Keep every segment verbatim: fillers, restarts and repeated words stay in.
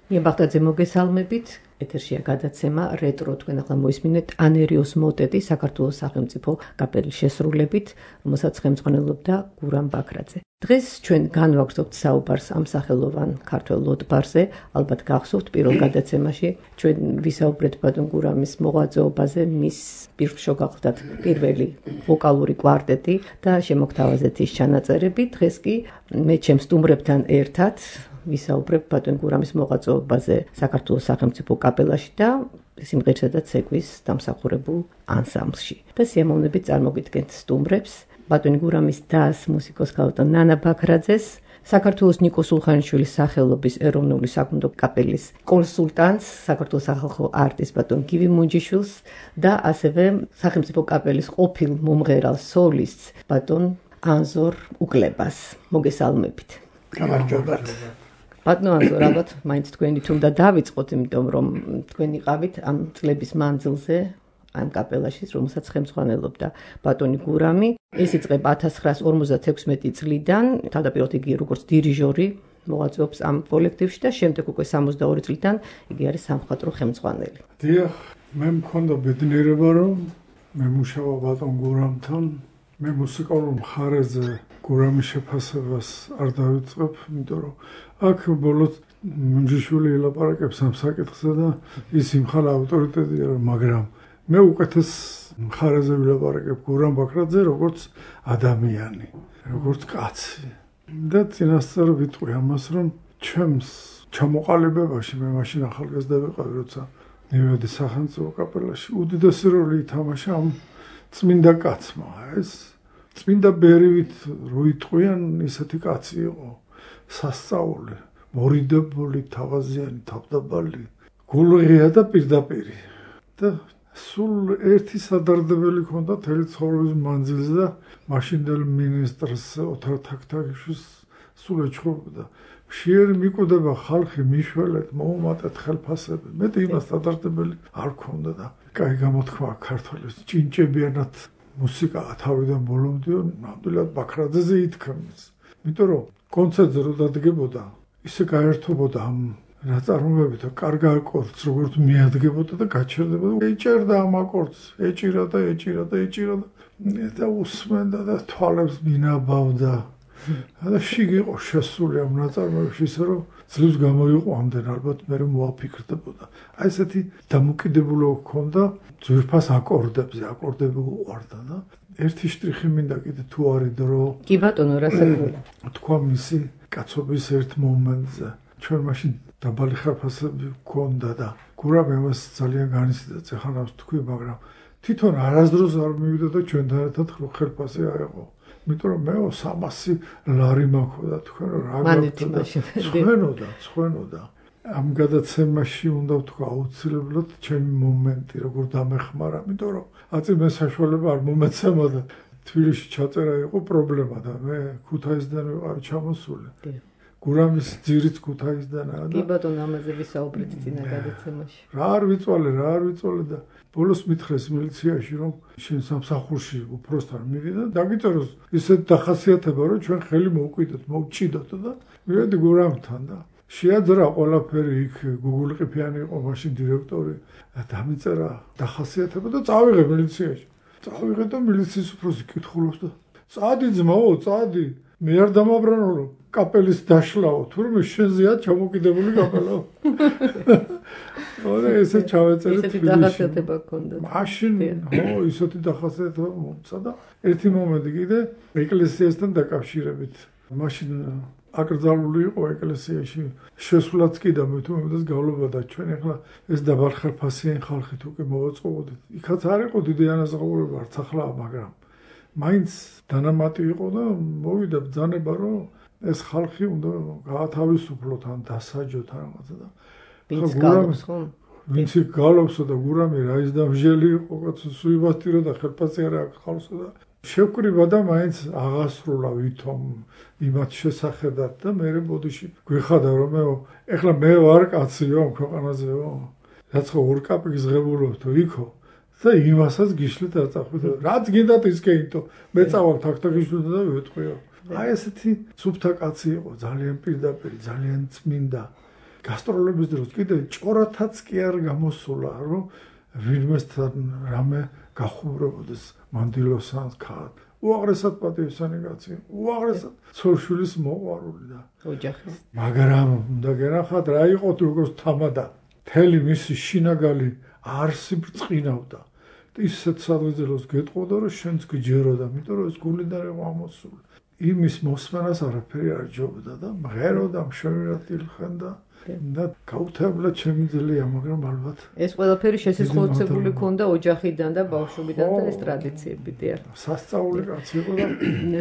ნიებახტაძე მოგესალმებით. ეთერშია გადაცემა რეტრო, თქვენ ახლა მოისმინეთ ანერიოს მოტეტი საქართველოს სახელმწიფო კაპელის შესრულებით, რომელსაც ხელმძღვანელობდა გურამ ბაქრაძე. დღეს ჩვენ განვაგრძობთ საუბარს ამ სახელოვან ქართველ ლოტბარზე, ალბათ გახსოვთ პირველ გადაცემაში ჩვენ ვისაუბრეთ ბატონ გურამის მოღვაწეობაზე, მის პირშო გახლდათ პირველი ვოკალური კვარტეტი და შემოგთავაზეთ ის ჩანაწერები. დღეს კი მე ჩემ სტუმრებთან ერთად ვისაუბრებ ბატონ გურამის მოღვაწეობაზე საქართველოს სახელმწიფო კაპელაში და სიმღერისა და ცეკვის დამსახურებულ ანსამბლში. და სიამოვნებით წარმოგიდგენთ სტუმრებს ბატონ გურამის დას მუსიკოს ქალბატონ ნანა ბაქრაძეს, საქართველოს ნიკო სულხანიშვილის სახელობის ეროვნული საკუნდო კაპელის კონსულტანტს, საქართველოს სახალხო არტის ბატონ გივი მუნჯიშვილს და ასევე სახელმწიფო კაპელის ყოფილ მომღერალ სოლისტს ბატონ ანზორ უკლებას. მოგესალმებით. გამარჯობათ. ბატონო ანზორ, ალბათ მაინც თქვენით უნდა დავიწყოთ, იმიტომ რომ თქვენ იყავით ამ წლების მანძილზე ამ კაპელაში, რომელსაც ხელმძღვანელობდა ბატონი გურამი. ეს იწყება ათას ცხრაას ორმოცდათექვსმეტი წლიდან, თავდაპირველად იგი როგორც დირიჟორი მოღვაწეობს ამ კოლექტივში და შემდეგ უკვე სამოცდაორი წლიდან იგი არის სამხატვრო ხელმძღვანელი. დიახ, მე მქონდა ბედნიერება, რომ მე მუშაობა ბატონ გურამთან, მე მუსიკალურ მხარეზე გურამის შეფასებას არ დავიწყებ, იმიტომ რომ აქ ბოლოს მუნჯიშვილი ელაპარაკებს ამ საკითხზე და ის იმხანა ავტორიტეტია, მაგრამ მე უკეთეს მხარეზე ვილაპარაკებ გურამ ბაქრაძე როგორც ადამიანი, როგორც კაცი. და წინასწარ ვიტყვი ამას, რომ ჩემს ჩამოყალიბებაში მე მაშინ ახალგაზრდა ვიყავი, როცა მივედი სახელმწიფო კაპელაში, უდიდესი როლი ითამაშა ამ წმინდა კაცმა. ეს წმინდა ბერივით რო იტყვიან, ისეთი კაცი იყო, სასწაული, მორიდებული, თავაზიანი, თავდაბალი, გულღია და პირდაპირი. და სულ ერთი სადარდებელი ჰქონდა მთელი ცხოვრების მანძილზე და მაშინდელ მინისტრს ოთარ თაქთაქიშვილს სულ ეჩხუბოდა. მშიერი მიკვდება ხალხი მიშველეთ, მოუმატეთ ხელფასები. მეტი იმას სადარდებელი არ ჰქონდა და კაი გამოთქვა ქართველის ჭინჭებიანად მუსიკა თავიდან ბოლომდე ნამდვილად ბაქრაძეზე ითქმის. იმიტომ რომ კონცერტზე რო დადგებოდა, ისე გაერთობოდა ამ ნაწარმოებით და კარგ აკორდს როგორც მიადგებოდა და გაჩერდებოდა. ეჭერდა ამ აკორდს, ეჭირა და ეჭირა და ეჭირა და უსმენდა და თვალებს მინაბავდა. და შიგ იყო შესული ამ ნაწარმოებში, ისე რომ ძლივს გამოიყო ამდენ, ალბათ მე მოაფიქრდებოდა. აი ესეთი დამოკიდებულება ჰქონდა ძვირფას აკორდებზე, აკორდები უყვარდა და ერთი შტრიხი მინდა კიდე თუ არის დრო. კი ბატონო, რასაკვირველია. თქვა მისი კაცობის ერთ მომენტზე. ჩვენ მაშინ დაბალი ხარფასები ჰქონდა და გურამ ამას ძალიან განიცდიდა, ეხლა თქვი, მაგრამ თვითონ არასდროს არ მივიდა და ჩვენთან ერთად ხელფასი აეღო. იმიტომ რომ მეო სამასი ლარი მაქვს და თქვენ რა გაქვთ ცხენოდა, ცხენოდა. ამ გადაცემაში უნდა ვთქვა აუცილებლად ჩემი მომენტი როგორ დამეხმარა, იმიტომ რომ აწი მე საშუალება არ მომეცემა და თბილისში ჩაწერა იყო პრობლემა და მე ქუთაისიდან ვიყავი ჩამოსული. გურამის ძირიც ქუთაისდანაა და კი ბატონო, ამაზე ვისაუბრეთ წინა გადაცემაში. რა არ ვიწვალე, რა არ ვიწვალე და ბოლოს მითხრეს მილიციაში, რომ შენ სამსახურში უფროსთან მივიდა და დაგიწეროს ისეთ დახასიათება, რომ ჩვენ ხელი მოვკვიდოთ, მოვჭიდოთ და მივედი გურამთან და შეაძრა ყველაფერი, იქ გუგულყიფიანი იყო მაშინ დირექტორი და დამიწერა დახასიათება და წავიღე მილიციაში. წავიღე და მილიციის უფროსი კითხულობს და წადი ძმაო, წადი. მე არ დამაბრანო კაპელის დაშლაო, თურმე შენზეა ჩამოკიდებული კაპელაო. ოღონდ ესე ჩავეწერეთ. ისეთი დახასიათება ჰქონდა. მაშინ, ხო, ისეთი დახასიათება მომცა და ერთი მომენტი კიდე ეკლესიასთან დაკავშირებით. მაშინ აკრძალული იყო ეკლესიაში შესვლაც კი და მე თუ მომდას გავლობა და ჩვენ ახლა ეს დაბალხარფასიანი ხალხი თუ კი მოვაწყობოდით. იქაც არ იყო დიდი ანაზღაურება, არც ახლა, მაგრამ მაინც დანამატი იყო და მოვიდა ბრძანება, რომ ეს ხალხი უნდა გაათავისუფლოთ ან დასაჯოთ რაღაცა და ვინც გალობს ხო? ვინც გალობსო და გურამი რა ის დამჟელი იყო, კაცო სუიბასტირო და ხელფასი არ აქვს ხალხსო და შევკრიბა და მაინც აღასრულა ვითომ იმათ შესახედად და მე ბოდიში გვიხადა რომ მე ეხლა მე ვარ კაციო ამ ქვეყანაზეო, რაც ხო ორ კაპიკს ღებულობთო იქო და იმასაც გიშლით არ წახვიდო. რაც გინდათ ის კეინტო, მე წავალ თაქთაქიშვილთან და ვეთყვიო. აი ესეთი სუფთა კაცი იყო, ძალიან პირდაპირი, ძალიან წმინდა. გასტროლების დროს კიდე ჭორათაც კი არ გამოსულა, რომ ვინმესთან რამე გახუბრებოდეს მანდილოსან ქად. უაღრესად პატივისცემი კაცი, უაღრესად ცოლ-შვილის მოყვარული და ოჯახის. მაგრამ უნდა გენახათ რა იყო როგორც თამადა. მთელი მისი შინაგალი არსი ბრწყინავდა. ისეთ სადღეძელოს გეტყოდა, რომ შენც გჯეროდა, იმიტომ რომ ეს გულიდან იყო ამოსული. იმის მოსმენას არაფერი არ ჯობდა და მღეროდა, მშვენივრად ილხენდა და გაუთავებლად შემიძლია, მაგრამ ალბათ ეს ყველაფერი შესაძლებლობებული ქონდა ოჯახიდან და ბავშვობიდან და ეს ტრადიციები დიახ. სასწაული კაცი იყო და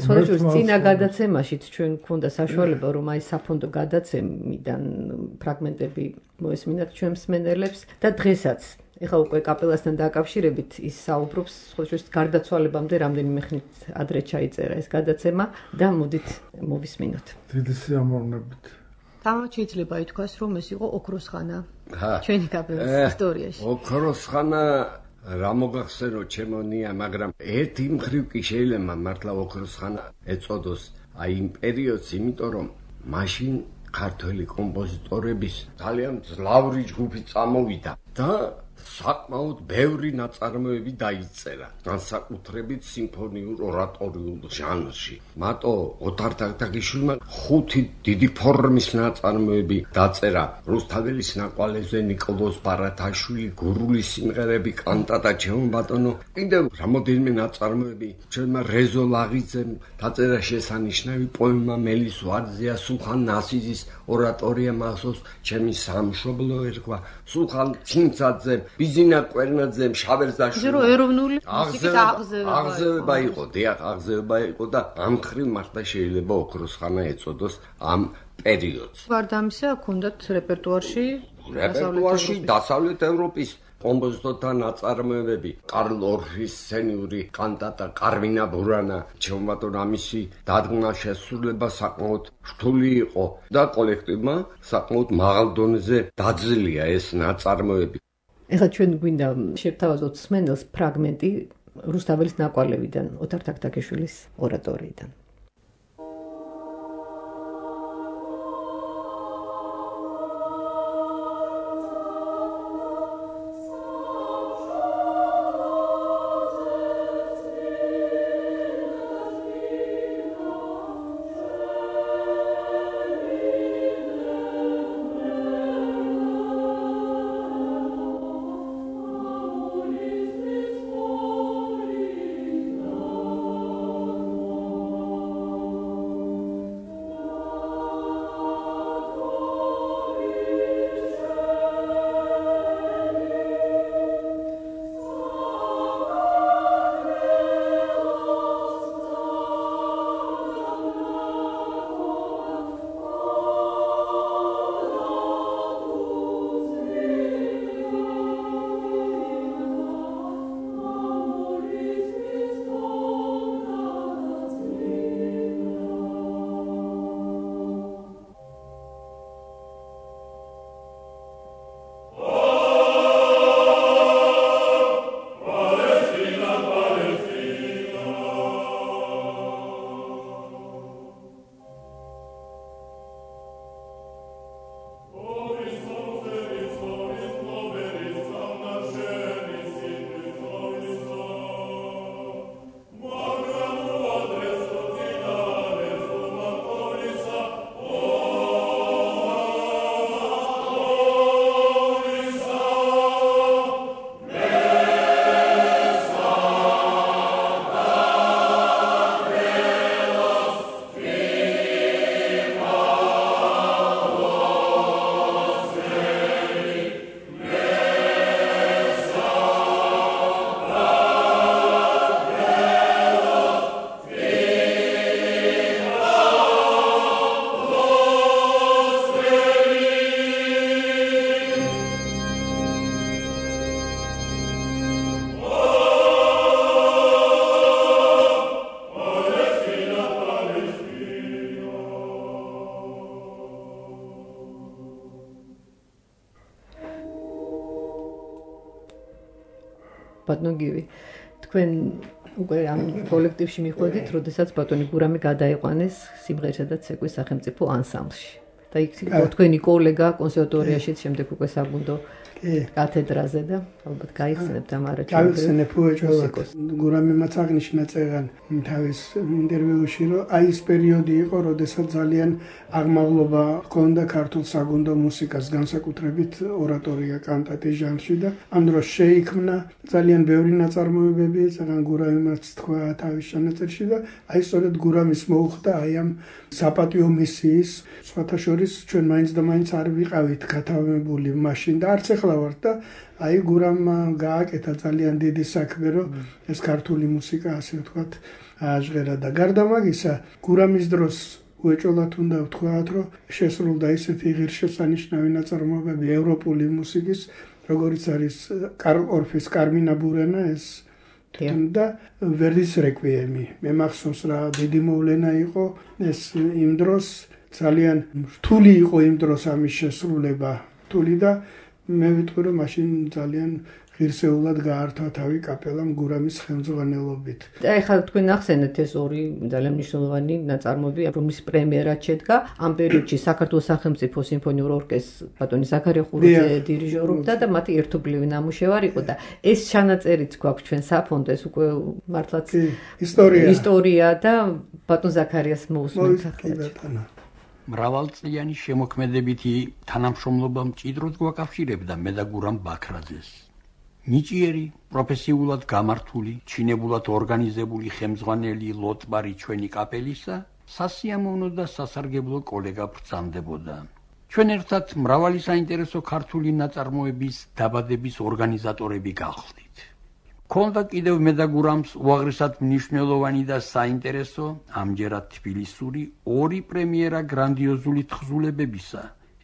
სხვადასხვა წინა გადაცემაშიც ჩვენ გქონდა საშუალება, რომ აი საფონდო გადაცემიდან ფრაგმენტები მოესმინათ ჩვენ მსმენელებს და დღესაც ეხლა უკვე კაპელასთან დაკავშირებით ის საუბრობს სხვადასხვა გარდაცვალებამდე რამდენიმე ხნით ადრე ჩაიწერა ეს გადაცემა და მოდით მოვისმინოთ. დიდი სიამოვნებით. თამარ შეიძლება ითქვას, რომ ეს იყო ოქროს ხანა ჩვენი კაპელის ისტორიაში. ოქროს ხანა რა მოგახსენო ჩემონია, მაგრამ ერთი მხრივ კი შეიძლება მართლა ოქროს ხანა ეწოდოს აი იმ პერიოდს, იმიტომ რომ მაშინ ქართველი კომპოზიტორების ძალიან ძლავრი ჯგუფი წამოვიდა და საკმაოდ ბევრი ნაწარმოები დაიწერა, განსაკუთრებით სიმფონიურ ორატორიულ ჟანრში. მარტო ოთარ თაქთაქიშვილმა ხუთი დიდი ფორმის ნაწარმოები დაწერა. რუსთაველის ნაკვალევზე ნიკოლოზ ბარათაშვილი, გურული სიმღერები, კანტატა ჩემო ბატონო, კიდევ რამოდენიმე ნაწარმოები. ჩვენმა რეზო ლაღიძემ დაწერა შესანიშნავი პოემა მელის ვარძია, სულხან ნასიზის ორატორია მახსოვს, ჩემი სამშობლო ერქვა, სულხან ცინცაძემ, ბიზინა კვერნაძემ, შავერზაშვილმა. ისე რომ ეროვნული მუსიკის აღზევება აღზევება იყო, დიახ, აღზევება იყო და ამ მხრივ მართლა შეიძლება ოქროს ხანა ეწოდოს ამ პერიოდს. გარდა ამისა, ჰქონდათ რეპერტუარში რეპერტუარში დასავლეთ ევროპის კომპოზიტორთა ნაწარმოებები, კარლ ორფის სცენიური კანტატა, კარმინა ბურანა, ჩემო ბატონო, ამისი დადგმა შესრულება საკმაოდ რთული იყო და კოლექტივმა საკმაოდ მაღალ დონეზე დაძლია ეს ნაწარმოები. ეხლა ჩვენ გვინდა შევთავაზოთ მსმენელს ფრაგმენტი რუსთაველის ნაკვალევიდან, ოთარ თაქთაქიშვილის ორატორიიდან. ბატონო გივი, თქვენ უკვე ამ კოლექტივში მიხვედით, როდესაც ბატონი გურამი გადაიყვანეს სიმღერისა და ცეკვის სახელმწიფო ანსამბლში. და იქ თქვენი კოლეგა კონსერვატორიაშიც შემდეგ უკვე საგუნდო კათედრაზე და ალბათ გაიხსენებთ ამ არაჩვენებრივ. გაიხსენებ უეჭველად. გურამიმაც აღნიშნა წერან თავის ინტერვიუში, რომ აი ეს პერიოდი იყო, როდესაც ძალიან აღმავლობა ჰქონდა ქართულ საგუნდო მუსიკას, განსაკუთრებით ორატორია კანტატის ჟანრში და ამ დროს შეიქმნა ძალიან ბევრი ნაწარმოებები, ძალიან გურამიმაც თქვა თავის ჩანაწერში და აი სწორედ გურამის მოუხდა აი ამ საპატიო მისიის, სხვათა შორის ჩვენ მაინც და მაინც არ ვიყავით გათავმებული მაშინ და არც ახლა ვართ და აი გურამმა გააკეთა ძალიან დიდი საქმე, რომ ეს ქართული მუსიკა ასე ვთქვათ ააჟღერა და გარდა მაგისა გურამის დროს უეჭველად უნდა ვთქვათ, რომ შესრულდა ისეთი ღირსშესანიშნავი ნაწარმოებები ევროპული მუსიკის, როგორიც არის კარლ ორფის კარმინა ბურენა ეს და ვერდის რეკვიემი. მე მახსოვს რა დიდი მოვლენა იყო ეს იმ დროს ძალიან რთული იყო იმ დროს ამის შესრულება. რთული და მე ვიტყვი რომ მაშინ ძალიან ღირსეულად გაართვა თავი კაპელამ გურამის ხელმძღვანელობით. და ეხლა თქვენ ახსენეთ ეს ორი ძალიან მნიშვნელოვანი ნაწარმოები, რომლის პრემიერაც შედგა. ამ პერიოდში საქართველოს სახელმწიფო სიმფონიურ ორკესტრს ბატონი ზაქარია ხუროძე დირიჟორობდა და მათი ერთობლივი ნამუშევარი იყო და ეს ჩანაწერიც გვაქვს ჩვენ საფონდო, ეს უკვე მართლაც ისტორია ისტორია და ბატონ ზაქარიას მოусმენთ ახლა. მრავალწლიანი შემოქმედებითი თანამშრომლობა მჭიდროდ გვაკავშირებდა მე და გურამ ბაქრაძეს. ნიჭიერი, პროფესიულად გამართული, ჩინებულად ორგანიზებული ხელმძღვანელი ლოტბარი ჩვენი კაპელისა სასიამოვნო და სასარგებლო კოლეგა ბრძანდებოდა. ჩვენ ერთად მრავალი საინტერესო ქართული ნაწარმოების დაბადების ორგანიზატორები გახდით. ქონდა კიდევ მე და გურამს უაღრესად მნიშვნელოვანი და საინტერესო, ამჯერად თბილისური ორი პრემიერა გრანდიოზული თხზულებებისა.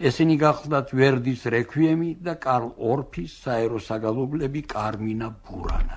ესენი გახლდათ ვერდის რეკვიემი და კარლ ორფის საერო საგალობლები კარმინა ბურანა.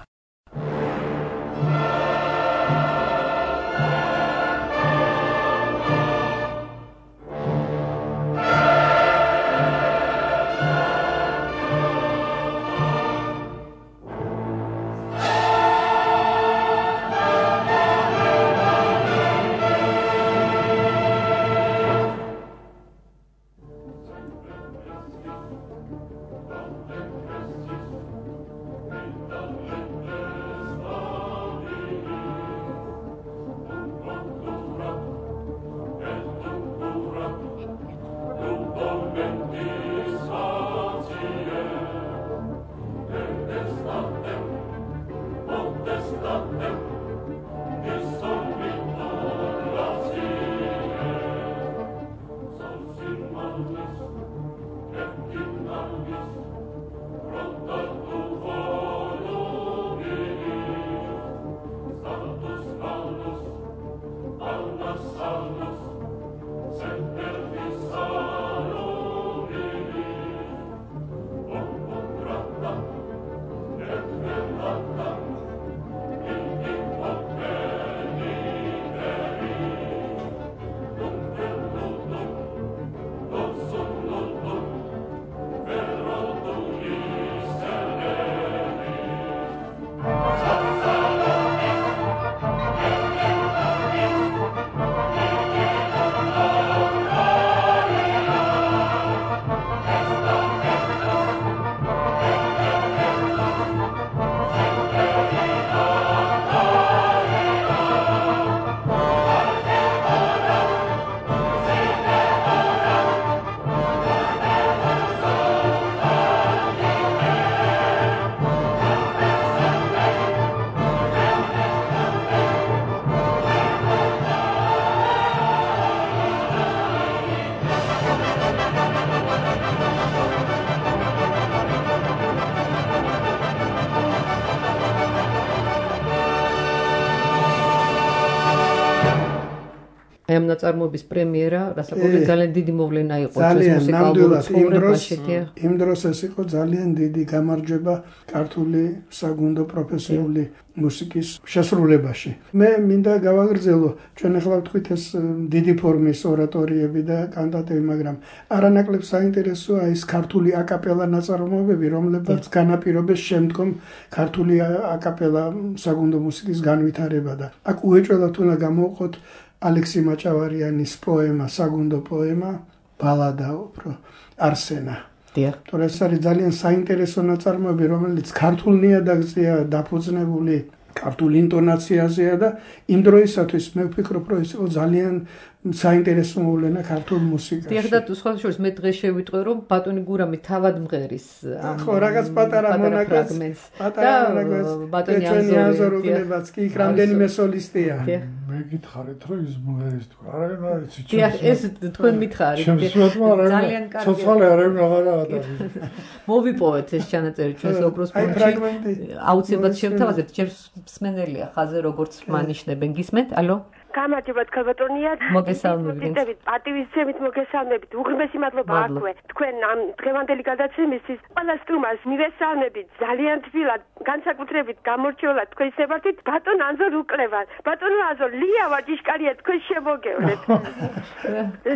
ამ ნაწარმოების პრემიერა, რასაკვირველია, ძალიან დიდი მოვლენა იყო ჩვენს მუსიკალურ ცხოვრებაში. იმ დროს ეს იყო ძალიან დიდი გამარჯვება ქართული საგუნდო პროფესიული მუსიკის შესრულებაში. მე მინდა გავაგრძელო, ჩვენ ახლა ვთქვით ეს დიდი ფორმის ორატორიები და კანტატები, მაგრამ არანაკლებ საინტერესოა ის ქართული აკაპელა ნაწარმოებები, რომლებიც განაპირობეს შემდგომ ქართული აკაპელა საგუნდო მუსიკის განვითარება და აქ უეჭველად უნდა გამოვყოთ ალექსი მაჭავარიანის პოემა, საგუნდო პოემა, ბალადა უფრო არსენა. დიახ. თორე ეს არის ძალიან საინტერესო ნაწარმოები, რომელიც ქართულ ნიადაგზეა დაფუძნებული, ქართულ ინტონაციაზეა და იმ დროისათვის მე ვფიქრობ, რომ ეს იყო ძალიან საინტერესო მოვლენა ქართულ მუსიკაში. დიახ და სხვა შორის მე დღეს შევიტყვე რომ ბატონი გურამი თავად მღერის ამ ხო რაღაც პატარა მონაკრეფრაგმენტს და ბატონი აზოროგლებაც კი იქ რამდენიმე სოლისტია. მე გითხარით რომ ის მღერის თქვა. არა რა იცი. დიახ ეს თქვენ მითხარით. ძალიან კარგი. ცოცხალე არავინ აღარა არის. მოვიპოვეთ ეს ჩანაწერი ჩვენს ოქროს ფონდში. აუცილებლად შევთავაზებთ, ჩემს მსმენელია ხაზე როგორც მანიშნებენ. გისმენთ? ალო? გამარჯობათ ქალბატონია. მოგესალმებით. პატივისცემით მოგესალმებით. უღრმესი მადლობა აქვე. თქვენ ამ დღევანდელი გადაცემისთვის ყველა სტუმარს მივესალმებით ძალიან თბილად, განსაკუთრებით გამორჩეულად თქვენ შევართით ბატონ ანზორ უკლევან. ბატონო ანზორ, ლია ვაჭიშკარია თქვენ შემოგევლეთ.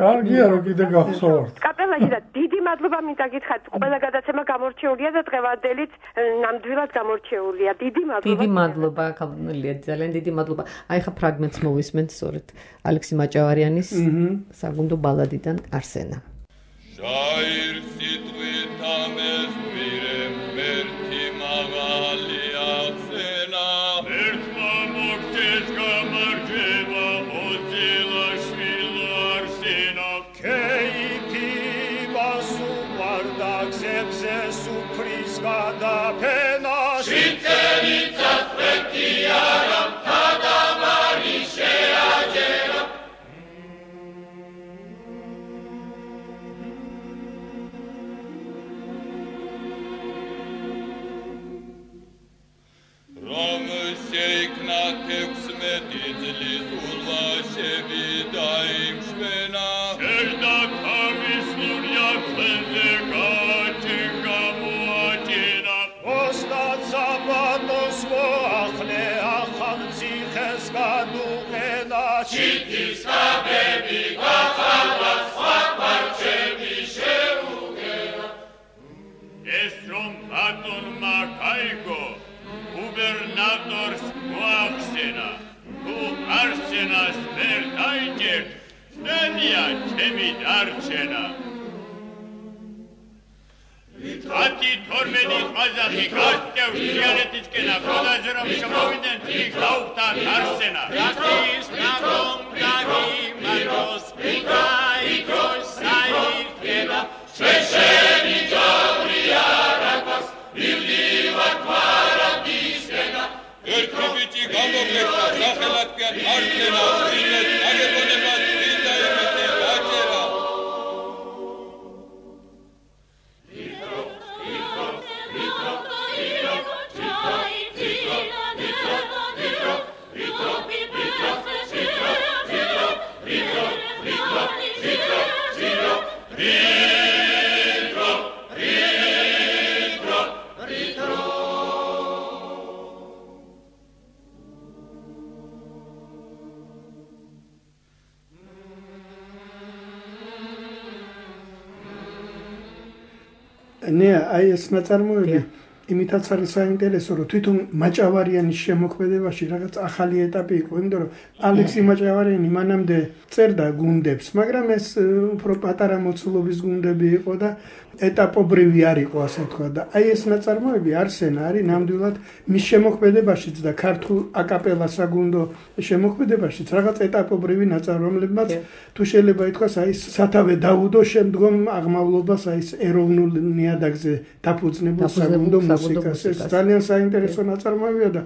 კარგია რომ კიდე გახსოვთ. კაპელაში და დიდი მადლობა მინდა გითხრათ. ყველა გადაცემა გამორჩეულია და დღევანდელიც ნამდვილად გამორჩეულია. დიდი მადლობა. დიდი მადლობა ქალბატონია, ძალიან დიდი მადლობა. აი ხა ფრაგმენტს მოვისმენთ სწორედ ალექსი მაჭავარიანის საგუნდო ბალადიდან არსენა. შაირ სიტყვითა მესვირემ მერტი მაღალი ახსენა ერთმა მოგდეს გამარჯვება ოძილა შვილო არსენა ქეიფი მასუყვარდა გზებზე სუფრის გადაფენა შიწერი წაწვეთი არა თადამარი შეაჯერა რომ შეიქნა თექვსმეტი წლის ულვაშები დაიმშვენა შერდა თავის ლურია ხელზე გაჩენგა მოაჭენა ოსტად საბატოს მოახლე ახალ ციხეს გადუყენა ჩიტის ხაბები გახალვა სხვა პარჩები შეუგერა ეს რომ ბატონმა გაიგო გუბერნატორს მოახსენა თუ არსენას ვერ დაიჯერთ წნედია ჩემი დარჩენა ათი თორმეტი ყაზახი გასწევს თიანეთისკენა გონაზე რომ შემოვიდნენ იქ გაუხდათ არსენა რატის ნაგომ დაგიმაროს იქაიქოს საიქება შეშენი ჯავრი არაკოს მივდივარ პარადისკენა ერთი ბიჭი გამოგეჭდა სახელად კი არსენა უილეთ აგებონება წინდა იმეთე გაჭერა ნე აი ეს ნაწარმოები იმითაც არის საინტერესო, რომ თვითონ მაჭავარიანის შემოქმედებაში რაღაც ახალი ეტაპი იყო, იმიტომ რომ ალექსი მაჭავარიანი მანამდე წერდა გუნდებს, მაგრამ ეს უფრო პატარა მოცულობის გუნდები იყო და ეტაპობრივი არ იყო, ასე თქვა და აი ეს ნაწარმოები არსენა არის ნამდვილად მის შემოქმედებაშიც და ქართულ აკაპელა საგუნდო შემოქმედებაშიც რაღაც ეტაპობრივი ნაწარმოები, რომლებმაც თუ შეიძლება ითქვას აი სათავე დაუდო შემდგომ აღმავლობას აი ეს ეროვნულ ნიადაგზე დაფუძნებულ საგუნდო მუსიკას. ეს ძალიან საინტერესო ნაწარმოებია და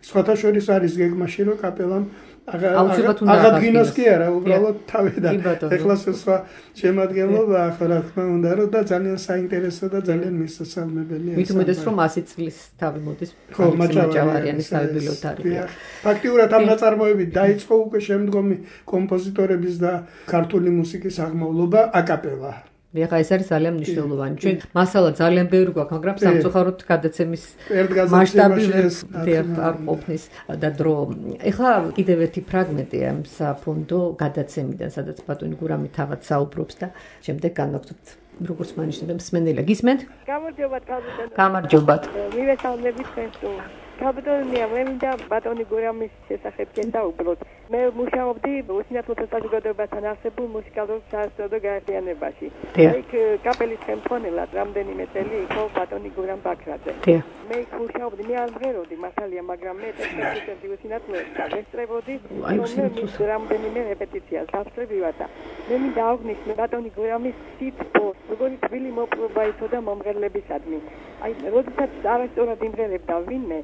სხვათა შორის არის გეგმაში რომ კაპელამ აღადგინოს კი არა, უბრალოდ თავიდან ეხლა სხვა შემადგენლობა ახლა რა თქმა უნდა რომ და ძალიან საინტერესო და ძალიან მისასალმებელია. მით უმეტეს რომ ასი წლის თავი მოდის მაჭავარიანის ბიბლიოთეკაში. ფაქტიურად ამ ნაწარმოებით დაიწყო უკვე შემდგომი კომპოზიტორების და ქართული მუსიკის აღმავლობა აკაპელა. ეხლა ეს არის ძალიან მნიშვნელოვანი. ჩვენ მასალა ძალიან ბევრი გვაქვს, მაგრამ სამწუხაროდ გადაცემის მასშტაბი არ ყოფნის და დრო. ეხლა კიდევ ერთი ფრაგმენტია ამ საფონდო გადაცემიდან, სადაც ბატონი გურამი თავად საუბრობს და შემდეგ განვაგრძობთ. როგორც მანიშნებენ მსმენელია. გისმენთ? გამარჯობათ, გამარჯობათ. გამარჯობათ. მივესალმებით თქვენს საბატონია, მე მინდა ბატონი გურამის შესახებ გესაუბროთ. მე მუშაობდი უსინათლოთა საზოგადოებასთან არსებულ მუსიკალურ საერთაშორისო გაერთიანებაში. იქ კაპელის ხელმძღვანელად რამდენიმე წელი იყო ბატონი გურამ ბაქრაძე. მე იქ მუშაობდი, მე არ მღეროდი მასალია, მაგრამ მე ტექნიკურად უსინათლოებდა ვესწრებოდი, რომელიც რამდენიმე რეპეტიციას დავსწრებივად და მე მინდა აღვნიშნო ბატონი გურამის სიტყვა, როგორი თბილი მოპყრობა იცოდა მომღერლებისადმი. აი, როდესაც არასწორად იმღერებდა ვინმე,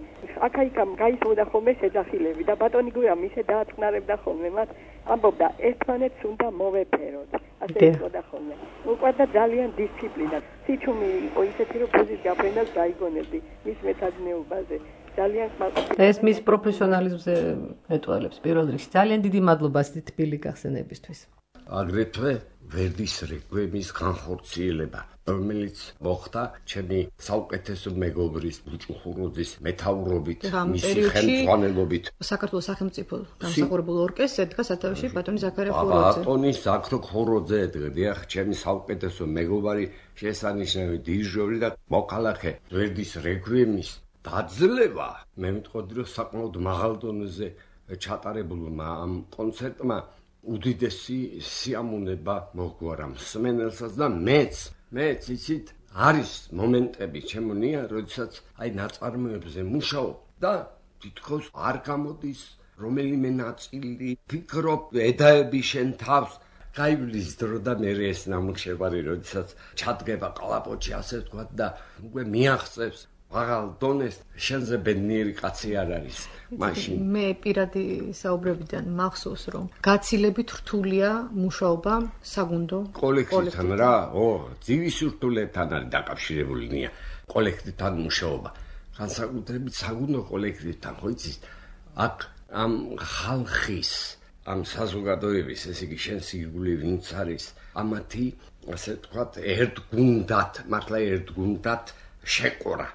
აქა-იქამ გაისმოდა ხოლმე შეძახილები და ბატონი გურამ ისე დააწყნარებდა ხოლმე მას, ამბობდა ერთმანეთს უნდა მოვეფეროთ. ასე იტყოდა ხოლმე. უყვარდა ძალიან დისციპლინა. სიჩუმი იყო ისეთი, რომ ბუზის გაფრენას დაიგონებდი მის მეცადინეობაზე. ძალიან ხმაყოფილი. ეს მის პროფესიონალიზმზე მეტყველებს პირველ რიგში. ძალიან დიდი მადლობა ასეთი თბილი გახსენებისთვის. აგრეთვე ვერდის რეკვიემის განხორციელება, რომელიც მოხდა ჩემი საუკეთესო მეგობრის ბუჭუ ხუროძის მეთაურობით, მისი ხელმძღვანელობით. საქართველოს სახელმწიფო დამსახურებულ ორკესტრს ედგა სათავეში ბატონი ზაქარია ხუროძე. ბატონი ზაქრო ხუროძე ედგა, დიახ, ჩემი საუკეთესო მეგობარი, შესანიშნავი დირიჟორი და მოქალაქე. ვერდის რეკვიემის დაძლევა, მე მიტყოდი, რომ საკმაოდ მაღალ დონეზე ჩატარებულმა ამ კონცერტმა უდიდესი სიამოვნება მოგვარა მსმენელსაც და მეც მეც იცით არის მომენტები ჩემონია, როდესაც აი ნაწარმოებზე მუშაობ და თითქოს არ გამოდის რომელიმე ნაწილი, ფიქრობ, ედაები შენ თავს, გაივლის დრო და მე ეს ნამუშევარი, როდესაც ჩადგება კალაპოჩი, ასე ვთქვათ და უკვე მიაღწევს მაღალ დონეს, შენზე ბედნიერი კაცი არ არის მაშინ. მე პირადი საუბრებიდან მახსოვს, რომ გაცილებით რთულია მუშაობა საგუნდო კოლექტივთან რა, ო, ძივის რთულებთან არის დაკავშირებულნია კოლექტივთან მუშაობა. განსაკუთრებით საგუნდო კოლექტივთან, ხო იცით, აქ ამ ხალხის, ამ საზოგადოების, ესე იგი შენ სირგული ვინც არის, ამათი, ასე ვთქვათ, ერთგუნდად, მართლა ერთგუნდად შეკორა.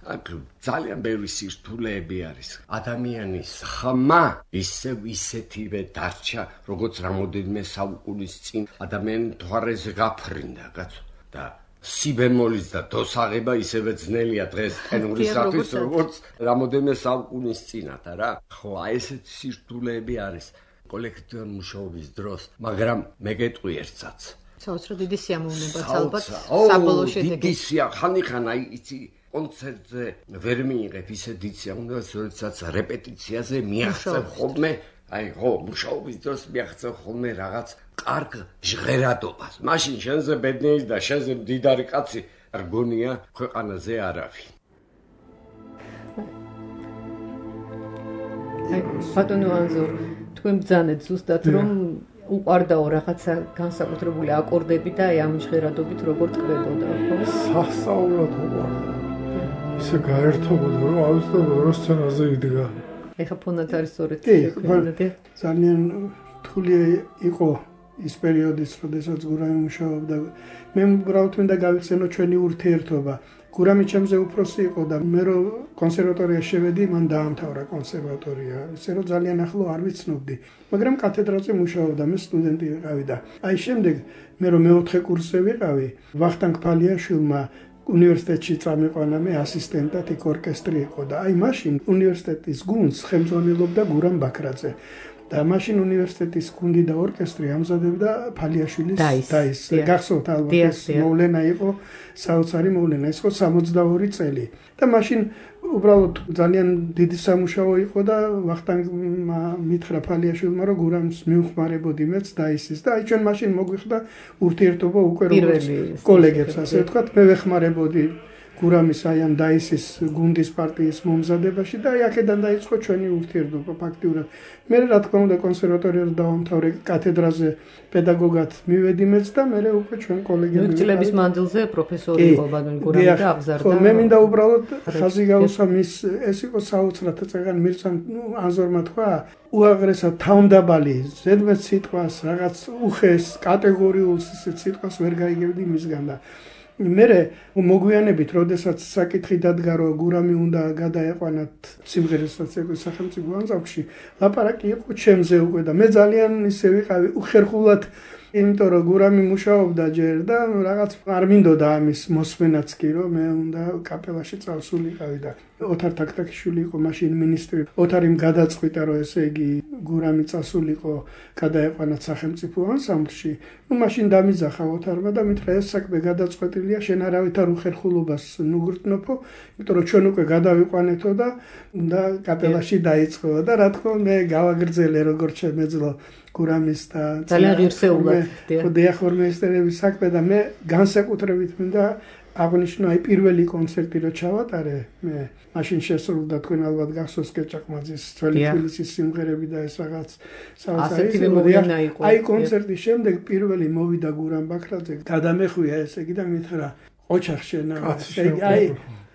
აქ ძალიან ბევრი სირთულეები არის. ადამიანის ხმა ისევ ისეთივე დარჩა, როგორც რამოდენიმე საუკუნის წინ ადამიანი მთვარეზე გაფრინდა, კაცო. და სი ბემოლის და დოს აღება ისევე ძნელია დღეს ტენორისათვის, როგორც რამოდენიმე საუკუნის წინათ, რა. ხო, აი ესეთი სირთულეები არის კოლექტივურ მუშაობის დროს, მაგრამ მე გეტყვი ერთსაც. საოცრად დიდი სიამოვნებაც ალბათ საბოლოო შედეგი. დიდი სია, ხანიხან აი იცი კონცერტზე ვერ მიიღებ ისე დიდ სიამოვნებას, როდესაც რეპეტიციაზე მიაღწევ ხოლმე, აი ხო, მუშაობის დროს მიაღწევ ხოლმე რაღაც კარგ ჟღერადობას. მაშინ შენზე ბედნიერი და შენზე მდიდარი კაცი არ გონია ქვეყანაზე არავინ. აი, ბატონო ანზორ, თქვენ ბრძანეთ ზუსტად რომ უყარდაო რაღაცა განსაკუთრებული აკორდები და აი ამ ჟღერადობით როგორ ტკბებოდა, ხო? სასწაულად უყარდა. ისე გაერთობოდა, რომ აუცილებლად რო სცენაზე იდგა. ეხა ფონად არის სწორედ ეს. ძალიან რთული იყო ის პერიოდის, როდესაც გურამი მუშაობდა. მე უბრალოდ მინდა გავიხსენო ჩვენი ურთიერთობა. გურამი ჩემზე უფროსი იყო და მე რო კონსერვატორიაში შევედი, მან დაამთავრა კონსერვატორია. ისე რომ ძალიან ახლო არ ვიცნობდი, მაგრამ კათედრაზე მუშაობდა, მე სტუდენტი ვიყავი და აი შემდეგ მე რო მეოთხე კურსზე ვიყავი, ვახტანგ ფალიაშვილმა უნივერსიტეტში წამიყვანა მე ასისტენტად, იქ ორკესტრი იყო და აი მაშინ უნივერსიტეტის გუნდს ხელმძღვანელობდა გურამ ბაქრაძე. და მაშინ უნივერსიტეტის გუნდი და ორკესტრი ამზადებდა ფალიაშვილის დაის. გახსოვთ ალბათ ეს მოვლენა იყო, საოცარი მოვლენა, ის იყო სამოცდაორი წელი. და მაშინ უბრალოდ ძალიან დიდი სამუშაო იყო და ვახტანგმა მითხრა ფალიაშვილმა, რომ გურამს მიუხმარებოდი მეც დაისის და აი ჩვენ მაშინ მოგვიხდა ურთიერთობა უკვე როგორც კოლეგებს, ასე ვთქვათ, მე ვეხმარებოდი გურამის აი ამ დაისის გუნდის პარტიის მომზადებაში და აი აქედან დაიწყო ჩვენი ურთიერთობა ფაქტიურად. მე რა თქმა უნდა კონსერვატორიას დავამთავრე, კათედრაზე პედაგოგად მივედი მეც და მე უკვე ჩვენ კოლეგები. წლების მანძილზე პროფესორი იყო ბატონი გურამი და აღზარდა. ხო, მე მინდა უბრალოდ ხაზი გავუსვა მის, ეს იყო საოცრად წეგან მირცამ ანზორმა თქვა, უაღრესად თავმდაბალი ზედმეტ სიტყვას, რაღაც უხეს, კატეგორიულ სიტყვას ვერ გაიგებდი მისგან და მერე მოგვიანებით, როდესაც საკითხი დადგა, რომ გურამი უნდა გადაეყვანათ სიმღერასაც სახელმწიფო ანსამბლში, ლაპარაკი იყო ჩემზე უკვე და მე ძალიან ისე ვიყავი უხერხულად იმიტომ რომ გურამი მუშაობდა ჯერ და რაღაც არ მინდოდა ამის მოსმენაც კი რომ მე უნდა კაპელაში წავსულიყავი და ოთარ თაქთაქიშვილი იყო მაშინ მინისტრი. ოთარიმ გადაწყვიტა რომ ესე იგი გურამი წასულიყო გადაეყვანათ სახელმწიფო ანსამბლში. ნუ მაშინ დამიძახა ოთარმა და მითხრა ეს საქმე გადაწყვეტილია შენ არავითარ უხერხულობას ნუგრტნოფო, იმიტომ რომ ჩვენ უკვე გადავიყვანეთო და უნდა კაპელაში დაიწყო და რა თქმა უნდა მე გავაგრძელე როგორც შემეძლო გურამის და ძალიან ღირსეულად დიახორმეისტერების საქმე და მე განსაკუთრებით მინდა აღნიშნო აი პირველი კონცერტი რო ჩავატარე მე მაშინ შესრულდა თქვენ ალბათ გახსოვს კეჭაყმაძის ძველი თბილისის სიმღერები და ეს რაღაც საოცარი აი კონცერტის შემდეგ პირველი მოვიდა გურამ ბაქრაძე გადამეხვია ესე იგი და მითხრა ოჩახ შენა აი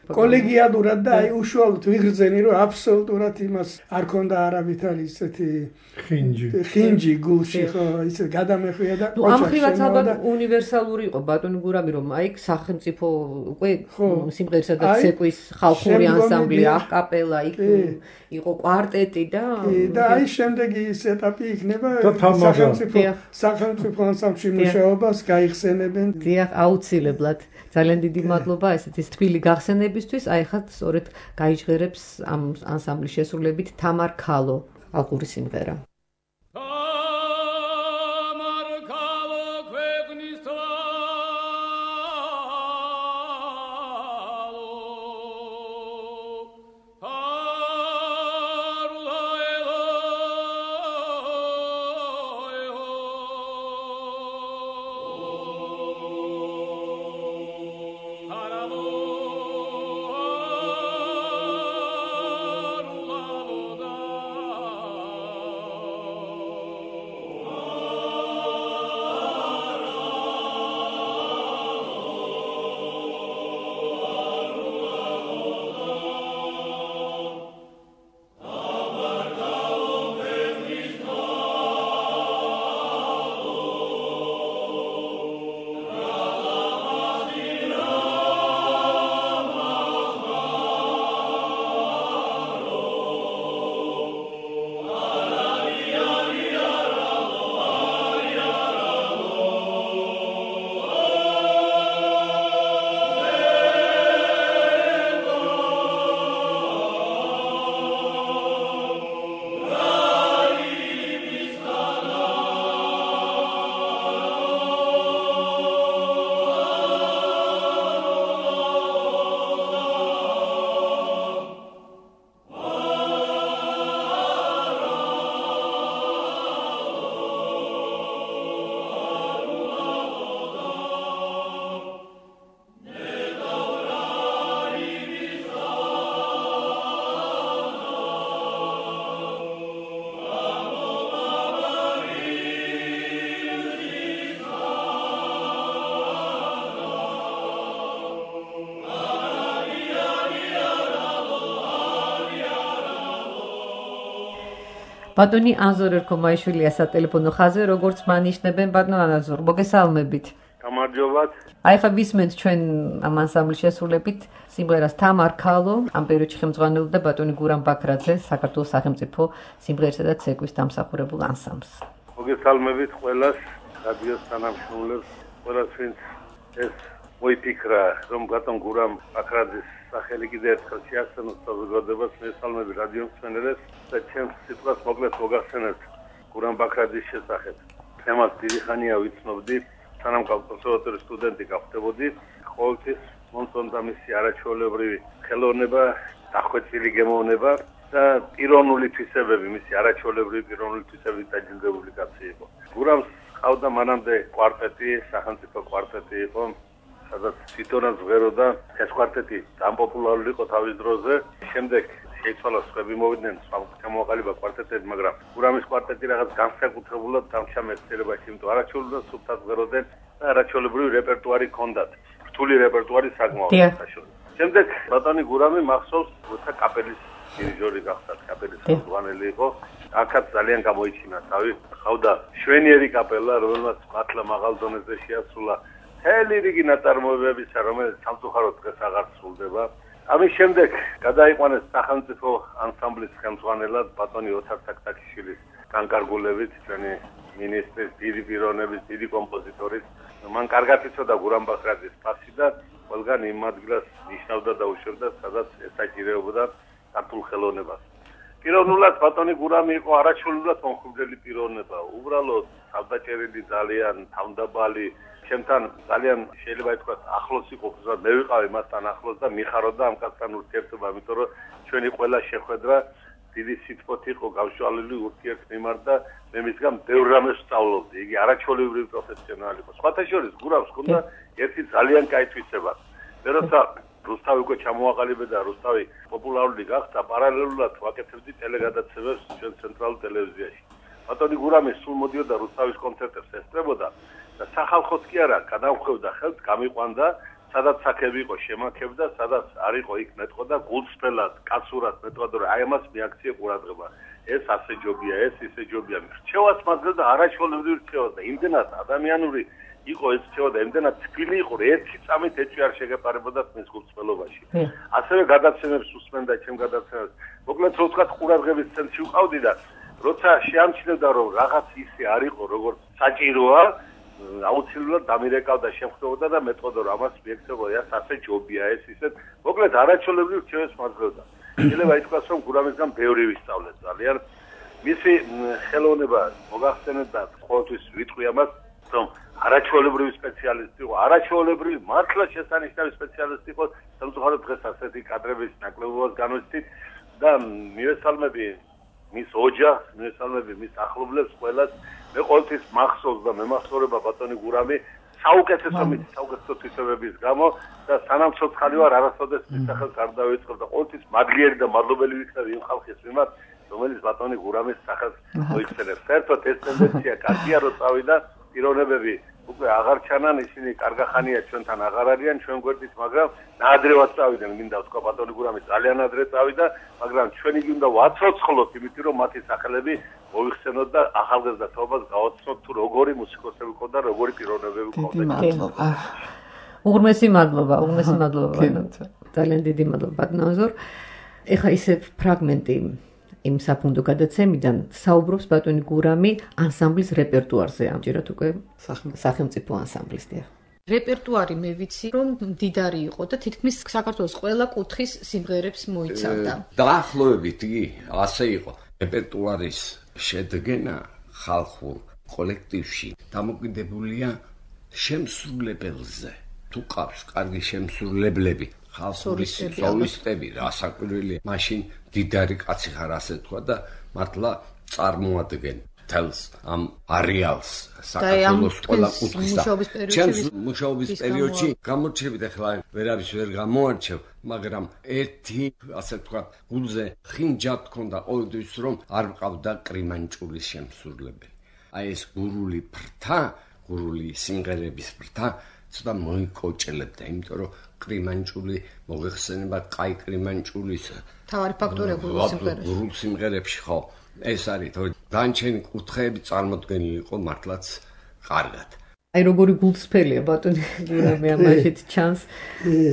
კოლეგიალურად და აი უშუალოდ ვიღრძენი რომ აბსოლუტურად იმას არ ქონდა არავითარი ისეთი ხინჯი ხინჯი გულში ხო ისე გადამეხვია და ამ ხრივაც ალბათ უნივერსალური იყო ბატონი გურამი რომ აი სახელმწიფო უკვე სიმღერისა და ცეკვის ხალხური ანსამბლი აკაპელა იქ იყო კვარტეტი და და აი შემდეგი ის ეტაპი იქნება სახელმწიფო სახელმწიფო ანსამბლში მუშაობას გაიხსენებენ დიახ აუცილებლად ძალიან დიდი მადლობა ესეთი თბილი გახსენებისთვის აი ხა სწორედ გაიჟღერებს ამ ანსამბლის შესრულებით თამარ ქალო ალყური სიმღერა ბატონი ანზორ ერქომაიშვილია სატელეფონო ხაზზე, როგორც მანიშნებენ ბატონ ანაზორ, მოგესალმებით. გამარჯობათ. აი ხა ვისმენთ ჩვენ ამ ანსამბლის შესრულებით სიმღერას თამარ ქალო, ამ პერიოდში ხელმძღვანელობდა ბატონი გურამ ბაქრაძე, საქართველოს სახელმწიფო სიმღერისა და ცეკვის დამსახურებულ ანსამბლს. მოგესალმებით ყველას, რადიოს თანამშრომლებს, ყველას ვინც ეს მოიფიქრა, რომ ბატონ გურამ ბაქრაძის სახელი კიდე ერთხელ შეახსენოს საზოგადოებას, მესალმები რადიო მსმენელებს და ჩემს სიტყვას მოკლედ მოგახსენებთ გურამ ბაქრაძის შესახებ. თემას დიდი ხანია ვიცნობდი, სანამ კონსერვატორიის სტუდენტი გავხდებოდი, ყოველთვის მომწონდა მისი არაჩვეულებრივი ხელოვნება, დახვეწილი გემოვნება და პიროვნული თვისებები, მისი არაჩვეულებრივი პიროვნული თვისებებით დაჯილდოვებული კაცი იყო. გურამს ყავდა მანამდე კვარტეტი, სახელმწიფო კვარტეტი იყო, სადაც თვითონაც ვღეროდა, ეს კვარტეტი ძალიან პოპულარული იყო თავის დროზე. შემდეგ შეიცვალა სხვები მოვიდნენ სხვა გამოაყალიბა კვარტეტები, მაგრამ გურამის კვარტეტი რაღაც განსაკუთრებულად დამჩა მეცნიერებაში, იმიტომ არაჩვეულებრივად სუფთად ვღეროდნენ და არაჩვეულებრივი რეპერტუარი ჰქონდათ. რთული რეპერტუარი საკმაოდ საშუალო. შემდეგ ბატონი გურამი მახსოვს, როცა კაპელის დირიჟორი გახდა, კაპელის ხელმძღვანელი იყო. აქაც ძალიან გამოიჩინა თავი. ყავდა შვენიერი კაპელა, რომელმაც მართლა მაღალ დონეზე შეასრულა მთელი რიგი ნაწარმოებებისა, რომელიც სამწუხაროდ დღეს აღარ სრულდება. ამის შემდეგ გადაიყვანეს სახელმწიფო ანსამბლის ხელმძღვანელად ბატონი ოთარ თაქთაქიშვილის განკარგულებით, ჩვენი მინისტრის, დიდი პიროვნების, დიდი კომპოზიტორის. მან კარგად იცოდა გურამ ბაქრაძის ფასი და ყველგან იმ ადგილას ნიშნავდა და უშვებდა, სადაც ესაჭირეებოდა ქართულ ხელოვნებას. პიროვნულად ბატონი გურამი იყო არაჩვეულებრივად მომხიბვლელი პიროვნება. უბრალოდ თავდაჭერილი, ძალიან თავდაბალი, ჩემთან ძალიან შეიძლება ითქვას ახლოს იყო, ზოგადად მე ვიყავი მასთან ახლოს და მიხარობდა ამ კაცთან ურთიერთობა, იმიტომ რომ ჩვენი ყველა შეხვედრა დიდი სიტყვით იყო გავშვალული ურთიერთმიმართ და მე მისგან ბევრ რამეს ვსწავლობდი. იგი არაჩვეულებრივი პროფესიონალი იყო. სხვათა შორის გურამს ჰქონდა ერთი ძალიან კაი თვისება. მე როცა რუსთავი უკვე ჩამოაყალიბე და რუსთავი პოპულარული გახდა, პარალელურად ვაკეთებდი ტელეგადაცემებს ჩვენ ცენტრალურ ტელევიზიაში. ბატონი გურამი სულ მოდიოდა რუსთავის კონცერტებს ესწრებოდა და სახალხოც კი არა, გადამხვევდა ხელთ, გამიყვანდა, სადაც საქები იყო შემაქებდა, სადაც არ იყო იქ მეტყოდა გულწრფელად, კაცურად მეტყოდა, რომ აი ამას მიაქციე ყურადღება. ეს ასე ჯობია, ეს ისე ჯობია. რჩევაც მაძლევდა არაჩვეულებრივ რჩევას და იმდენად ადამიანური იყო ეს რჩევა და იმდენად თბილი იყო, რომ ერთი წამით ეჭვი არ შეგეპარებოდა მის გულწრფელობაში. ასევე გადაცემებს უსმენდა ჩემ გადაცემებს. მოკლედ რო ვთქვათ, ყურადღების ცენტრში ვყავდი და როცა შეამჩნევდა, რომ რაღაც ისე არ იყო, როგორც საჭიროა, აუცილებლად დამირეკავდა, შემხვდებოდა და მეტყოდა, რომ ამას მიექცევა, ეს ასე ჯობია, ეს ისეთ. მოკლედ არაჩვეულებრივ რჩევებს მაძლევდა. შეიძლება ითქვას, რომ გურამისგან ბევრი ვისწავლეთ ძალიან. მისი ხელოვნება მოგახსენეთ და ყოველთვის ვიტყვი ამას, რომ არაჩვეულებრივი სპეციალისტი იყო, არაჩვეულებრივი მართლა შესანიშნავი სპეციალისტი იყო, სამწუხაროდ დღეს ასეთი კადრების ნაკლებობას განვიცდით და მივესალმები მის ოჯახს, მივესალმები მის ახლობლებს ყველას. მე ყოველთვის მახსოვს და მემახსოვრება ბატონი გურამი საუკეთესო მის საუკეთესო თვისებების გამო და სანამ ცოცხალი ვარ არასოდეს მის სახელს არ დავიწყებ და ყოველთვის მადლიერი და მადლობელი ვიქნები იმ ხალხის მიმართ, რომელიც ბატონი გურამის სახელს მოიხსენებს. საერთოდ ეს ტენდენცია კარგია, რომ წავიდა პიროვნებები უკვე აღარ ჩანან, ისინი კარგახანია ჩვენთან აღარ არიან ჩვენ გვერდით, მაგრამ ნაადრევად წავიდნენ, მინდა ვთქვა ბატონი გურამი ძალიან ადრე წავიდა, მაგრამ ჩვენ იგი უნდა ვაცოცხლოთ, იმიტომ რომ მათი სახელები მოიხსენოთ და ახალგაზრდა თაობას გავაცნოთ თუ როგორი მუსიკოსები ყო და როგორი პიროვნებები ყო. დიდი მადლობა. უღრმესი მადლობა, უღრმესი მადლობა. ძალიან დიდი მადლობა ბატონაზორ. ეხა ისე ფრაგმენტი იმ საფუნდო გადაცემიდან საუბრობს ბატონი გურამი ანსამბლის რეპერტუარზე, ამჯერად უკვე სახელმწიფო ანსამბლისტია. რეპერტუარი მე ვიცი, რომ მდიდარი იყო და თითქმის საქართველოს ყველა კუთხის სიმღერებს მოიცავდა. დაახლოებით იგი ასე იყო. რეპერტუარის შედგენა ხალხურ კოლექტივში დამოკიდებულია შემსრულებელზე. თუ ყავს კარგი შემსრულებლები, ხალხური სოლისტები, რასაკვირველია, მაშინ დიდარი კაცი ხარ ასე თქვა და მართლა წარმოადგენენ თელს ამ არეალს საქართველოს ყველა კუთხის და ჩემს მუშაობის პერიოდში გამორჩევით, ახლა ვერავის ვერ გამოარჩევ, მაგრამ ერთი ასე თქვა გულზე ხინჯად ქონდა ყოველთვის, რომ არ მყავდა კრიმანჭულის შემსრულებელი. აი ეს გურული ფრთა, გურული სიმღერების ფრთა ცოტა მოიკოჭლებდა, იმიტომ რომ კრიმანჭული მოგეხსენება კაი კრიმანჭულის თავარი ფაქტორია გურულ სიმღერებში. გურულ სიმღერებში ხო, ეს არის, თორე განჩენი კუთხეები წარმოდგენილი იყო მართლაც კარგად. აი როგორი გულწრფელია ბატონი გურამი ამაშიც ჩანს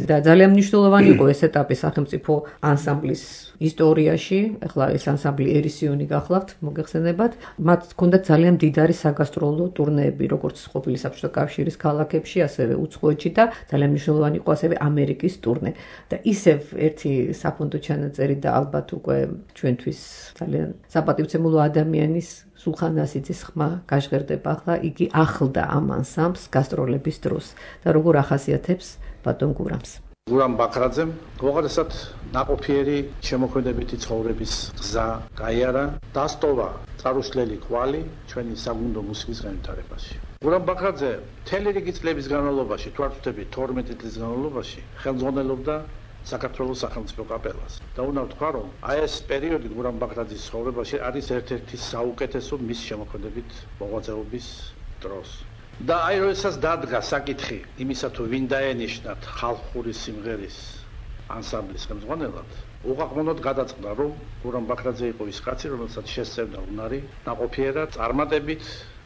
და ძალიან მნიშვნელოვანი იყო ეს ეტაპი სახელმწიფო ანსამბლის ისტორიაში. ახლა ეს ანსამბლი ერისიონი გახლავთ, მოგეხსენებათ. მათ ჰქონდათ ძალიან მდიდარი საგასტროლო ტურნეები, როგორც ყოფილი საბჭოთა კავშირის ქალაქებში, ასევე უცხოეთში და ძალიან მნიშვნელოვანი იყო ასევე ამერიკის ტურნე. და ისევ ერთი საფონდო ჩანაწერი და ალბათ უკვე ჩვენთვის ძალიან საპატივცემულო ადამიანის სულხან ასიძის ხმა გაჟღერდება ახლა, იგი ახლდა ამ ანსამბლს გასტროლების დროს და როგორ ახასიათებს ბატონ გურამს. გურამ ბაქრაძემ უაღრესად ნაყოფიერი შემოქმედებითი ცხოვრების გზა გაიარა, დასტოვა წარუსლელი კვალი ჩვენი საგუნდო მუსიკის განვითარებაში. გურამ ბაქრაძე მთელი რიგი წლების განმავლობაში, თუ არ ვთქვი თორმეტი წლის განმავლობაში, ხელმძღვანელობდა საქართველოს სახელმწიფო კაპელას. და უნდა ვთქვა, რომ აი ეს პერიოდი გურამ ბაქრაძის ცხოვრებაში არის ერთ-ერთი საუკეთესო მის შემოქმედებით მოღვაწეობის დროს. და აი როდესაც დადგა საკითხი იმისა, თუ ვინ დაენიშნათ ხალხური სიმღერის ანსამბლის ხელმძღვანელად, უყაყმონოდ გადაწყდა, რომ გურამ ბაქრაძე იყო ის კაცი, რომელსაც შესწევდა უნარი ნაყოფიერად წარმატებით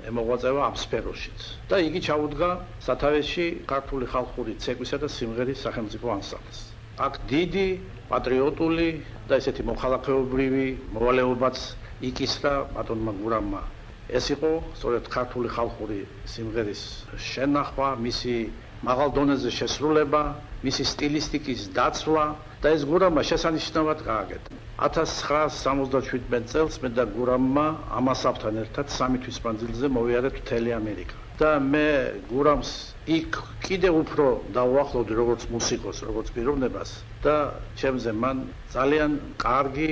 ემოღვაწევა ამ სფეროშიც. და იგი ჩაუდგა სათავეში ქართული ხალხური ცეკვისა და სიმღერის სახელმწიფო ანსამბლს. აქ დიდი პატრიოტული და ესეთი მოხალხეობრივი მოვალეობაც იკისრა ბატონმა გურამმა ეს იყო სწორედ ქართული ხალხური სიმღერის შენახვა, მისი მაღალ დონეზე შესრულება, მისი სტილისტიკის დაცვა და ეს გურამმა შესანიშნავად გააკეთა. ათას ცხრაას სამოცდაშვიდმეტ წელს მე და გურამმა ამასავთან ერთად სამი თვის მანძილზე მოვიარეთ მთელი ამერიკა. და მე გურამს იქ კიდევ უფრო დავუახლოვდი როგორც მუსიკოს, როგორც პიროვნებას და ჩემზე მან ძალიან კარგი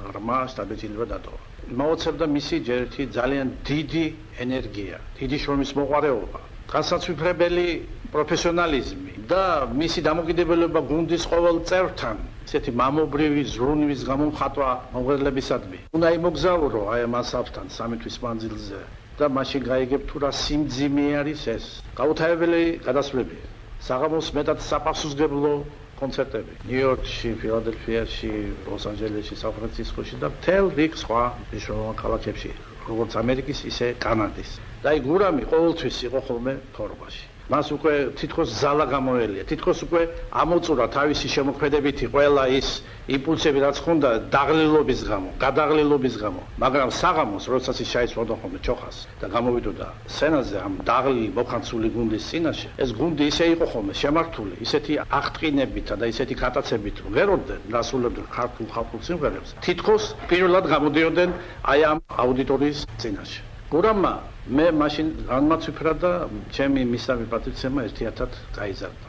ღრმა შთაბეჭდილება დატოვა. მაოცებდა მისი ჯერ ერთი ძალიან დიდი ენერგია, დიდი შრომის მოყვარეობა, განსაცვიფრებელი პროფესიონალიზმი და მისი დამოკიდებულება გუნდის ყოველ წევრთან, ესეთი მამობრივი ზრუნვის გამომხატვა მომღერლებისადმი. უნდა იმოგზაურო აი ამ ასავთან სამი თვის მანძილზე და მაშინ გაიგებ თუ რა სიმძიმე არის ეს. გაუთავებელი გადასვლებია. საღამოს მეტად საფასუზგებლო კონცერტები ნიუ-იორკში, ფილადელფიაში, ლოს-ანჯელესში, სან-ფრანცისკოში და მთელ რიგ სხვა მნიშვნელოვან ქალაქებში, როგორც ამერიკის, ისე კანადის. და აი გურამი ყოველთვის იყო ხოლმე ფორმაში. მას უკვე თითქოს ზალა გამოელია, თითქოს უკვე ამოწურა თავისი შემოქმედებითი ყველა ის იმპულსები, რაც ხონდა დაღლილობის გამო, გადაღლილობის გამო. მაგრამ საღამოს, როდესაც ის ჩაიცვალა ხოლმე ჩოხას და გამოვიდოდა სცენაზე ამ დაღლილი მოხანცული გუნდის წინაშე, ეს გუნდი ისე იყო ხოლმე შემართული, ისეთი აღტყინებითა და ისეთი გატაცებით ვღეროდნენ, დასრულებდნენ ქართულ ხალხურ სიმღერებს. თითქოს პირველად გამოდიოდნენ აი ამ აუდიტორიის წინაშე. გურამმა მე მაშინ განმაცვიფრა და ჩემი მისამი პატრიცემა ერთიათად გაიზარდა.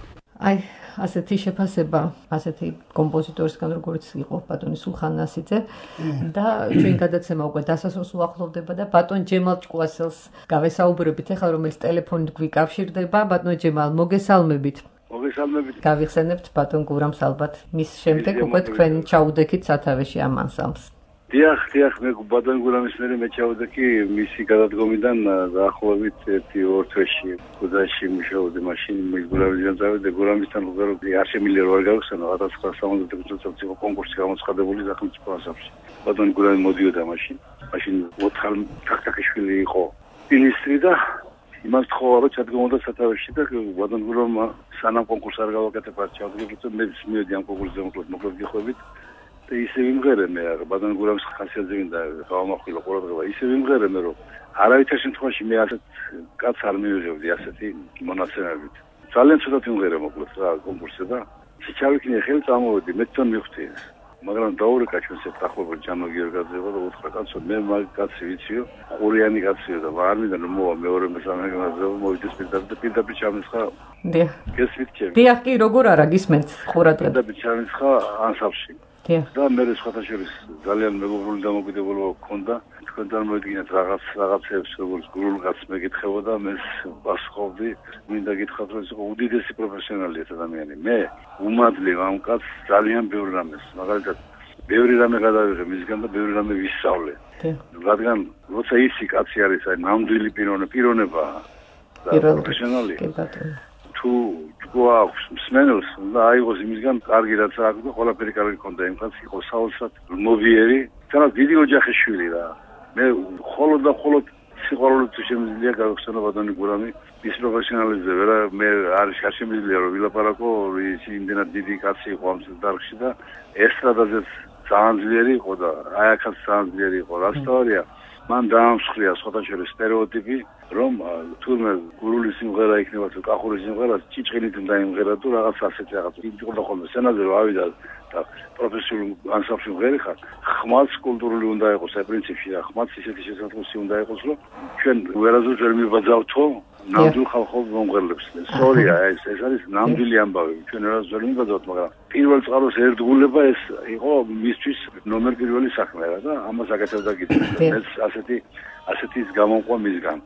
აი, ასეთი შეფასება, ასეთი კომპოზიტორისგან როგორც იყო ბატონი სულხან ნასიძე და ჩვენ გადაცემა უკვე დასასრულს უახლოვდება და ბატონ ჯემალ ჭკუასელს გავესაუბრებით ახლა, რომელიც ტელეფონით გვიკავშირდება. ბატონ ჯემალ, მოგესალმებით. მოგესალმებით. გავიხსენებთ ბატონ გურამს ალბათ. მის შემდეგ უკვე თქვენ ჩაუდექით სათავეში ამ ანსამბლს. დიახ, დიახ, მე ბატონ გურამის მერე მე ჩავდექი მისი გადადგომიდან დაახლოებით ერთი ორ თვეში კუძაში მუშაობდი მაშინ მე გურამისგან წავედი გურამისთან უბრალოდ არ შემიძლია რომ არ გავხსენო ათას ცხრაას სამოცდათხუთმეტ წელს იყო კონკურსი გამოცხადებული სახელმწიფო ასამბლეში. ბატონ გურამი მოდიოდა მაშინ. მაშინ ოთხალ თაქთაქიშვილი იყო ministri და იმას თხოვა რომ ჩადგომოდა სათავეში და ბატონ გურამმა სანამ კონკურსი არ გავაკეთებია ჩავდგებოდა მე მივედი ამ კონკურსზე მოკლედ გიხვებით. ისე ვიმღერე მე ბატონ გურამის ხასიათზე მინდა გავამახვილო ყურადღება ისე ვიმღერე მე რომ არავითარ შემთხვევაში მე ასეთ კაცს არ მივიღებდი ასეთი მონაცემებით ძალიან ცუდად ვიმღერე მოკლედ რა კონკურსზე და ჩავიქნიე ხელი წამოვედი მე თან მივხვდი მაგრამ დაურეკა ჩვენს ეთახმობა ჯანო გიორგაძევა და უთხრა კაცო მე მაგ კაცი ვიციო ყურიანი კაცია და არ მინდა რომ მოვა მეორე მესამე გაზევა მოვიდეს პირდაპირ და პირდაპირ ჩამისხა დიახ გესვით ჩემი დიახ კი როგორ არა გისმენთ ყურადღება პირდაპირ ჩამისხა ანსამბლში და მე სხვათა შორის ძალიან მეგობრული დამოკიდებულება გქონდა თქვენთან მოედგინათ რაღაც რაღაცებს როგორც გურულკაც მეკითხებოდა მე პასუხობდი მინდა გითხრათ რომ ის იყო უდიდესი პროფესიონალი ადამიანი მე უმადლე ამ კაცს ძალიან ბევრი რამეს მაგალითად ბევრი რამე გადავიღე მისგან და ბევრი რამე ვისწავლე რადგან როცა ისი კაცი არის აი ნამდვილი პიროვნება და პროფესიონალი თუ გვაქვს მსმენელს და აიღოს იმისგან კარგი რაც აქვს და ყველაფერი კარგი ქონდა იმ კაცს იყო საოცრად მოვიერი თანაც დიდი ოჯახის შვილი რა მე ხოლოდ და ხოლოდ სიყვარულით შემიძლია გავხსენო ბატონი გურამი ის პროფესიონალიზმზე ვერა მე არ შემიძლია რომ ვილაპარაკო ის იმდენად დიდი კაცი იყო ამ დარგში და ესტრადაზეც ძალიან ძლიერი იყო და აი აქაც ძალიან ძლიერი იყო რა სწორია მან დაამსხვრია სხვათა შორის სტერეოტიპი რომ თურმე გურული სიმღერა იქნება თუ კახური სიმღერა ჭიჭყინით უნდა იმღერა თუ რაღაც ასეთი რაღაც იყო და ხოლმე სცენაზე რომ ავიდა და პროფესიონალ ანსამბლში ვღერიხარ ხმალს კულტურული უნდა იყოს აი პრინციპში რა ხმალს ისეთი შესაძლოა უნდა იყოს რომ ჩვენ ვერაზუს ვერ მიბაძავთო ნამდვილ ხალხურ მომღერლებს სწორია ეს ეს არის ნამდვილი ამბავი ჩვენ ვერაზუს ვერ მიბაძავთ მაგრამ პირველ წყაროს ერთგულება ეს იყო მისთვის ნომერ პირველი საქმე რა და ამას აკეთებდა კიდე ეს ასეთი ასეთის გამომყვა მისგან.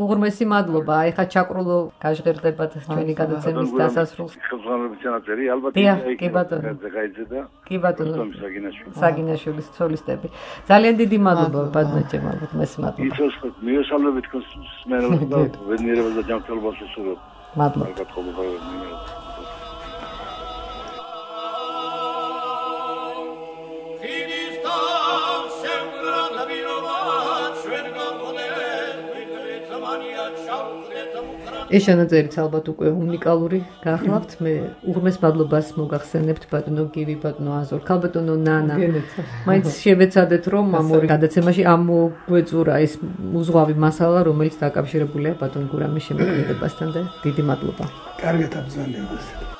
უღრმესი მადლობა. აი ხა ჩაკრულო გაჟღერდებათ ჩვენი გადაცემის დასასრულს. ხელმძღვანელობის ჩანაწერი ალბათ კი ბატონო. გაიძედა. კი ბატონო. საგინაშვილი სოლისტები. ძალიან დიდი მადლობა ბატონო ჯემალ მეს მადლობა. იცოს მიესალმებით თქვენს მსმენელს და ბედნიერებას და ჯანმრთელობას ვსურვებ. მადლობა. გათხოვება Come on. ეს ჩანაწერიც ალბათ უკვე უნიკალური გახლავთ. მე უღრმეს მადლობას მოგახსენებთ ბატონო გივი, ბატონო აზორ, ქალბატონო ნანა. მაინც შევეცადეთ რომ ამ ორი გადაცემაში ამოგვეწურა ეს უზღვავი მასალა, რომელიც დაკავშირებულია ბატონ გურამის შემოქმედებასთან და დიდი მადლობა. კარგად აბრძანებას.